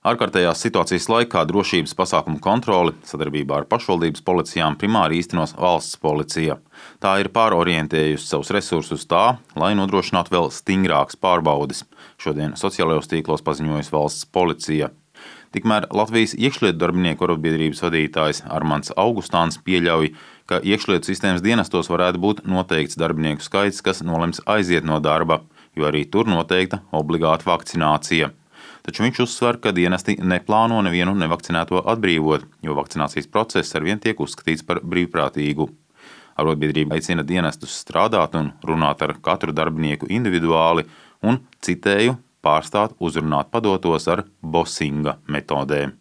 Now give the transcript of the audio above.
Ārkārtējās situācijas laikā drošības pasākumu kontroli sadarbībā ar pašvaldības policijām primāri īstenos valsts policija. Tā ir pārorientējusi savus resursus tā, lai nodrošinātu vēl stingrākas pārbaudes. Šodien sociālajos tīklos paziņojusi valsts policija. Tikmēr Latvijas iekšlietu darbinieku arotbiedrības vadītājs Armands Augustāns pieļauj, ka iekšlietu sistēmas dienestos varētu būt noteikts darbinieku skaits, kas nolems aiziet no darba, jo arī tur noteikta obligāta vakcinācija. Taču viņš uzsver, ka dienesti neplāno nevienu nevakcinēto atbrīvot, jo vakcinācijas process arvien tiek uzskatīts par brīvprātīgu. Arotbiedrība aicina dienestus strādāt un runāt ar katru darbinieku individuāli un, citēju, pārstāt uzrunāt padotos ar bosinga metodēm.